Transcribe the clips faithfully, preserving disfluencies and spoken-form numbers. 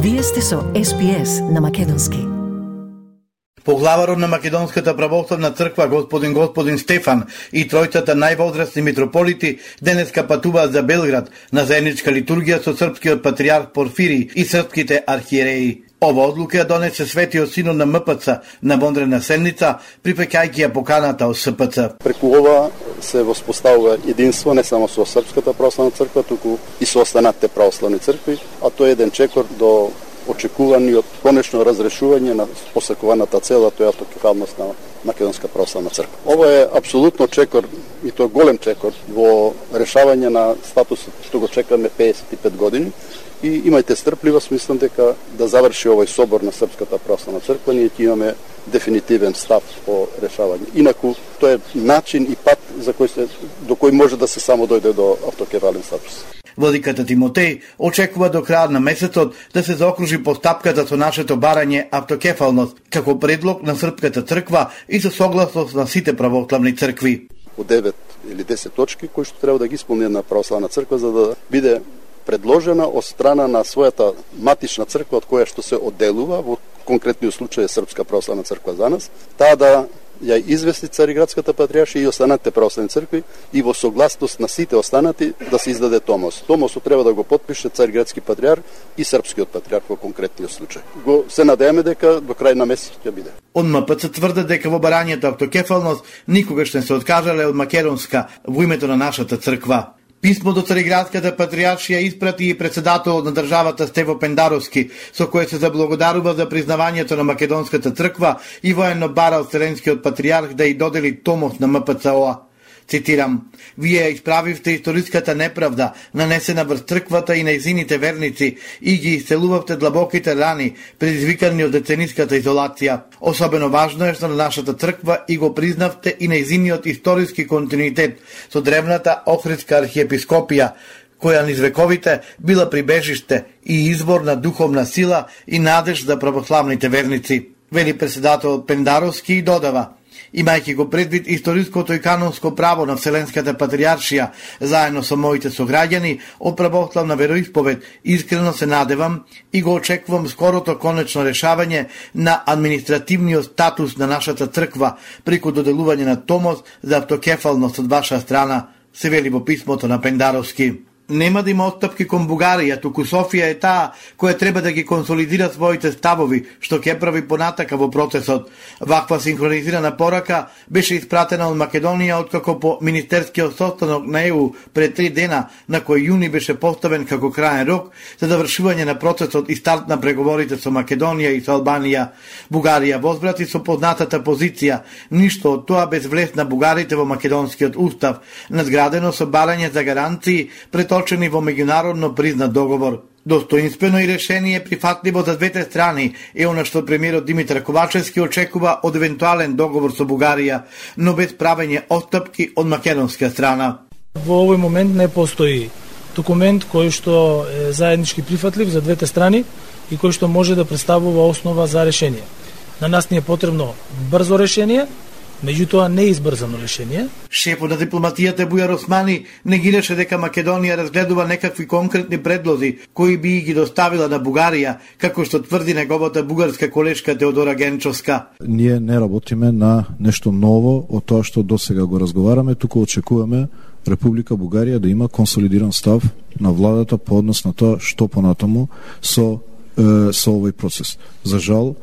Вие сте со Ес Би Ес на македонски. Поглаварот на Македонската православна црква господин господин Стефан и тројцата највозрасни митрополити денеска патуваат за Белград на заедничка литургија со српскиот патријарх Порфирий и српските архиереи. Ова одлука ја донесе Светиот Синод на М П Ц на вонредна седница, припеќајќи ја поканата од С П Ц. Преку ова се воспоставува единство не само со Српската православна црква, туку и со останатите православни цркви, а тоа е еден чекор до очекуваниот конечно разрешување на посакуваната цел, тоа е автокефалност на Македонска православна црква. Ова е апсолутно чекор, и тоа голем чекор, во решавање на статусот што го чекаме педесет и пет години. И имајте стрпливост, мислам дека да заврши овој собор на Српската православна црква, ние ќе имаме дефинитивен став по решавање. Инаку тоа е начин и пат за кој се до кој може да се само дојде до автокефален статус. Владиката Тимотеј очекува до крајот на месецот да се заокружи постапката со нашето барање автокефалност како предлог на Српската црква и со согласност на сите православни цркви. Од девет или десет точки кои што треба да ги исполни една православна црква за да биде предложена од страна на својата матична црква од која што се одделува, во конкретниот случај е Српска православна црква за нас, таа да ја извести Цариградската патријаршија и останатите православни цркви и во согласност на сите останати да се издаде томос. Томосот треба да го потпише Цариградски патријарх и Српскиот патријарх во конкретниот случај. Го се надеваме дека до крај на месецот ќе биде. Од М П Ц тврдат дека во барањето автокефалност никогаш не се откажале од Македонска во името на нашата црква. Писмо до Цариградската патријаршија испрати и председателот на државата Стево Пендаровски, со кое се заблагодарува за признавањето на Македонската црква и воено бара од Вселенскиот патријарх да ја додели томос на М П Ц О А. Цитирам: "Вие исправивте историската неправда, нанесена врз црквата и нејзините верници, и ги исцелувавте длабоките рани, предизвикани од децениската изолација. Особено важно е што на нашата црква и го признавте и нејзиниот историски континуитет со древната Охридска архиепископија, која низ вековите била прибежиште и извор на духовна сила и надеж за православните верници", вели председател Пендаровски и додава: "Имајќи го предвид историското и канонско право на Вселенската патријаршија, заедно со моите сограѓани од православна вероисповед, искрено се надевам и го очекувам скорото конечно решавање на административниот статус на нашата црква преку доделување на томос за автокефалност од ваша страна", се вели во писмото на Пендаровски. Нема да има отстапки кон Бугарија, туку Софија е таа која треба да ги консолидира своите ставови, што ќе прави понатака во процесот. Ваква синхронизирана порака беше испратена од Македонија откако по Министерскиот состанок на Е У пред три дена, на кој јуни беше поставен како краен рок за завршување на процесот и старт на преговорите со Македонија и со Албанија. Бугарија возбрати со познатата позиција, ништо од тоа без влез на бугарите во македонскиот устав, надградено со барање за гаранции пред точени во меѓународно признат договор. Достоинствено и решение прифатливо за двете страни е она што премиерот Димитар Ковачевски очекува од евентуален договор со Бугарија, но без правење отстапки од македонска страна. Во овој момент не постои документ кој што е заеднички прифатлив за двете страни и кој што може да представува основа за решение. На нас ни е потребно брзо решение, меѓутоа не избрзано решение. Шефот на дипломатијата Бујар Османи негираше дека Македонија разгледува некакви конкретни предлози кои би ги доставила на Бугарија, како што тврди неговата бугарска колешка Теодора Генчовска. Ние не работиме на нешто ново од тоа што досега го разговараме, туку очекуваме Република Бугарија да има консолидиран став на владата по однос на тоа што понатаму со е, со овој процес. За жал,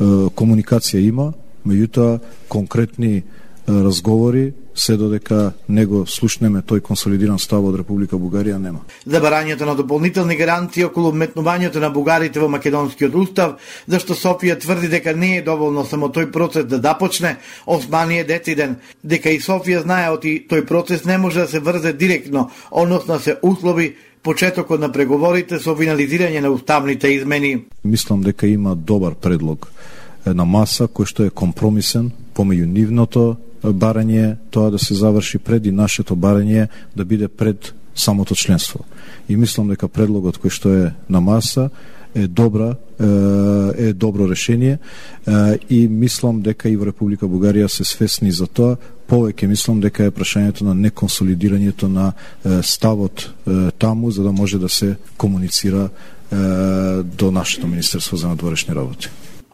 е, комуникација има, меѓутоа конкретни разговори се додека не го слушнеме тој консолидиран став од Република Бугарија нема. За барањето на дополнителни гаранции околу вметнувањето на бугарите во македонскиот устав, зашто Софија тврди дека не е доволно само тој процес да започне, Османи е дециден дека и Софија знае оти тој процес не може да се врзе директно, односно се услови почетокот на преговорите со финализирање на уставните измени. Мислам дека има добар предлог на маса кој што е компромисен помеѓу нивното барање, тоа да се заврши пред и нашето барање да биде пред самото членство. И мислам дека предлогот кој што е на маса е добра, е добро решение и мислам дека и во Република Бугарија се свесни за тоа. Повеќе мислам дека е прашањето на неконсолидирањето на ставот таму за да може да се комуницира до нашето Министерство за надворешни работи.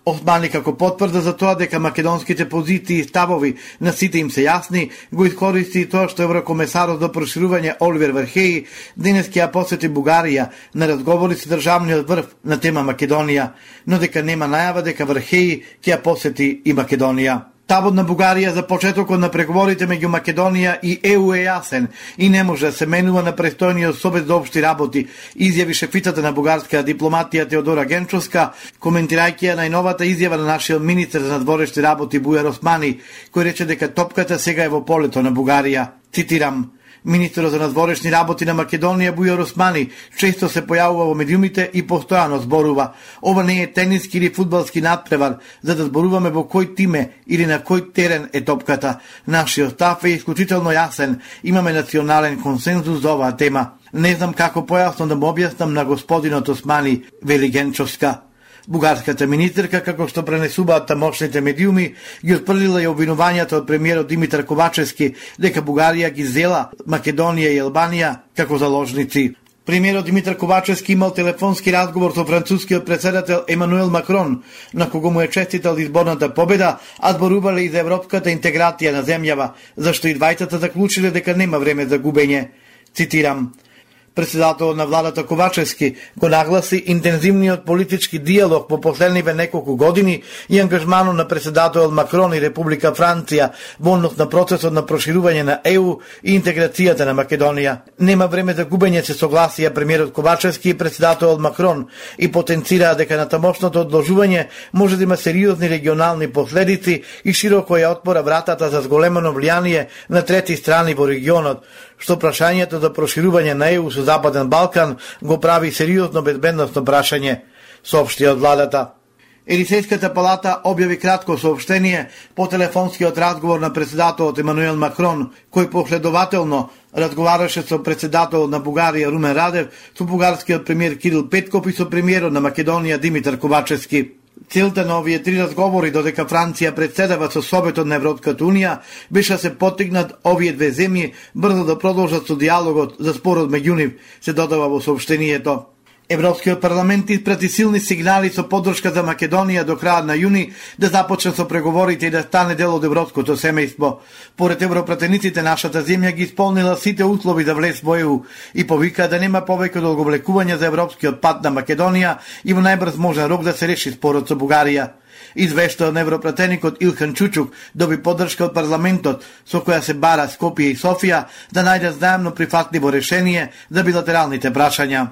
Османи како потврда за тоа дека македонските позиции и ставови на сите им се јасни, го искористи и тоа што еврокомесарот за проширување Оливер Вархеи денес ќе ја посети Бугарија на разговори со државниот врв на тема Македонија, но дека нема најава дека Вархеи ќе ја посети и Македонија. Ставот на Бугарија за почетокот на преговорите меѓу Македонија и Е У е јасен и не може да се менува на престојниот Совет за општи работи, изјави шефицата на бугарска дипломатија Теодора Генчовска, коментирајќи ја најновата изјава на нашиот министер за надворешни работи Бујар Османи, кој рече дека топката сега е во полето на Бугарија. Цитирам: Министерот за надворешни работи на Македонија Бујар Османи често се појавува во медиумите и постојано зборува: ова не е тениски или фудбалски надпревар за да зборуваме во кој тиме или на кој терен е топката. Нашиот став е исклучително јасен. Имаме национален консензус за оваа тема. Не знам како појасно да му објаснам на господинот Османи, вели Генчовска. Бугарската министерка, како што пренесуваат тамошните медиуми, ги отпрлила и обвинувањата од премиерот Димитар Ковачевски дека Бугарија ги зела Македонија и Албанија како заложници. Премиерот Димитар Ковачевски имал телефонски разговор со францускиот претседател Емануел Макрон, на кого му е честитал изборната победа, а зборувале и за европската интеграција на земјава, зашто и двајцата заклучиле дека нема време за губење. Цитирам: Председателот на владата Ковачевски го нагласи интензивниот политички диалог по последниве неколку години и ангажманот на председателот Макрон и Република Франција во однос на процесот на проширување на Е У и интеграцијата на Македонија. Нема време за губење, се согласија премиерот Ковачевски и председателот Макрон и потенцираа дека на тамошното одложување може да има сериозни регионални последици и широко ја отвора вратата за зголемено влијание на трети страни во регионот, што прашањето за проширување на Е У со Западен Балкан го прави сериозно безбедносно прашање, соопшти од владата. Елисејската палата објави кратко соопштение по телефонскиот разговор на председателот Емануел Макрон, кој последователно разговараше со председателот на Бугарија Румен Радев, со бугарскиот премиер Кирил Петков и со премиерот на Македонија Димитар Ковачевски. Целта на овие три разговори, додека Франција председава со Советот на Европската Унија, беше да се поттикнат овие две земји брзо да продолжат со диалогот за спорот меѓу нив, се додава во соопштението. Европскиот парламент испрати силни сигнали со поддршка за Македонија до крајот на јуни да започне со преговорите и да стане дел од европското семејство. Поред европратениците, нашата земја ги исполнила сите услови за влез во Е У и повика да нема повеќе одговлекување за европскиот пат на Македонија и во најбрз можен рок да се реши спорот со Бугарија. Извештаот на европратеникот Илхан Чучук доби поддршка од парламентот, со која се бара Скопје и Софија да најдат заемно прифатливо решение за билатералните прашања.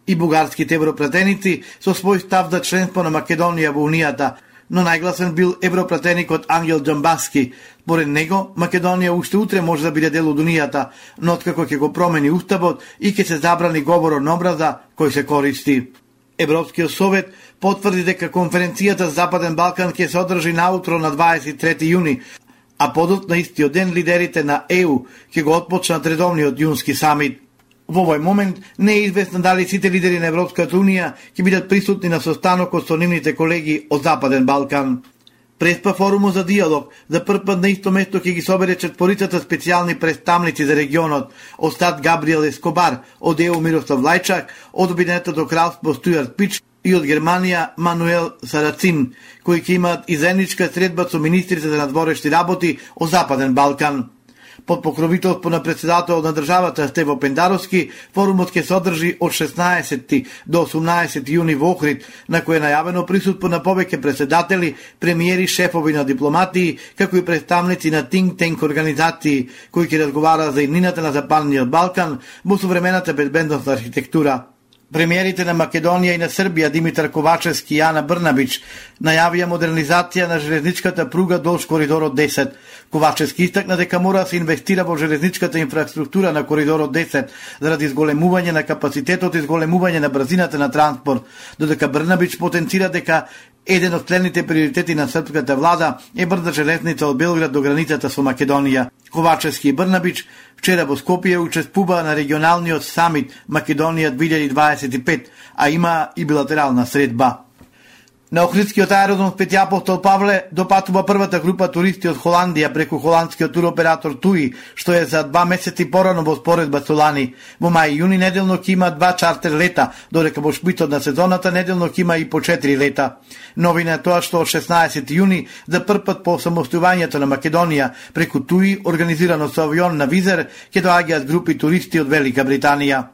И бугарските европратеници со свој став за членство на Македонија во Унијата, но најгласен бил европратеникот Ангел Џамбаски. Според него, Македонија уште утре може да биде дел од Унијата, но откако ќе го промени уставот и ќе се забрани говорот на образа кој се користи. Европскиот совет потврди дека конференцијата за Западен Балкан ќе се одржи наутро на дваесет и трети јуни, а подот на истиот ден лидерите на Е У ќе го отпочнат редовниот јунски самит. Во овој момент не е известно дали сите лидери на Европската Унија ќе бидат присутни на состанокот со нивните колеги од Западен Балкан. Преспа форумот за диалог за прв пат на исто место ќе ги собере четворицата специјални представници за регионот: од САД Габриел Ескобар, од Е У Мирослав Лајчак, од Обединетото кралство Стујарт Пич и од Германија Мануел Сарацин, кои ќе имаат и заедничка средба со министрите за надворешни работи од Западен Балкан. Под покровителство на председателот на државата Стево Пендаровски, форумот ќе се одржи од шеснаесети до осумнаесети јуни во Охрид, на кој е најавено присуство на повеќе председатели, премиери, шефови на дипломатии, како и представници на think tank организации, кои ќе разговараат за иднината на Западниот Балкан во современата безбедносна архитектура. Премиерите на Македонија и на Србија Димитар Ковачевски и Ана Брнабич најавија модернизација на железничката пруга долж коридорот десет. Ковачевски истакна дека мора да се инвестира во железничката инфраструктура на коридорот десет заради зголемување на капацитетот и зголемување на брзината на транспорт, додека Брнабич потенцира дека еден од следните приоритети на српската влада е брза железница од Белград до границата со Македонија. Ковачевски и Брнабич вчера во Скопје учествуваа на регионалниот самит Македонија две илјади дваесет и пет, а има и билатерална средба. На Охридскиот аеродром Свети Апостол Павле допатува првата група туристи од Холандија преку холандскиот туроператор Туи, што е за два месеци порано во споредба со лани. Во мај и јуни неделно ќе има два чартер лета, додека во шпитот на сезоната неделно ќе има и по четири лета. Новина е тоа што од шеснаесети јуни за прв пат по самостојувањето на Македонија преку Туи, организирано со авион на Визер, ќе доаѓаат групи туристи од Велика Британија.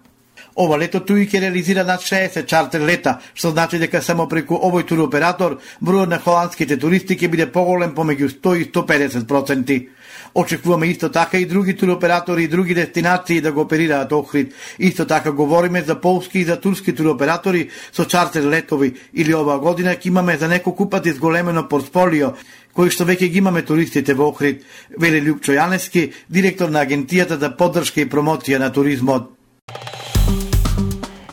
Ова лето Туи ќе реализира над шеесет чартер лета, што значи дека само преку овој туроператор бројот на холандските туристи ќе биде поголем помеѓу сто и сто педесет проценти. Очекуваме исто така и други туроператори и други дестинации да го оперираат Охрид. Исто така говориме за полски и за турски туроператори со чартер летови, или оваа година ќе имаме за неколку пати зголемено портфолио, кои што веќе ги имаме туристите во Охрид, вели Лјупчо Јаневски, директор на Агенцијата за поддршка и промоција на туризмот.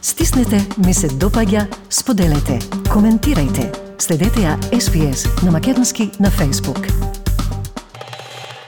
Стиснете ми се допаѓа, споделете, коментирајте. Следете ја Ес Би Ес на македонски на Facebook.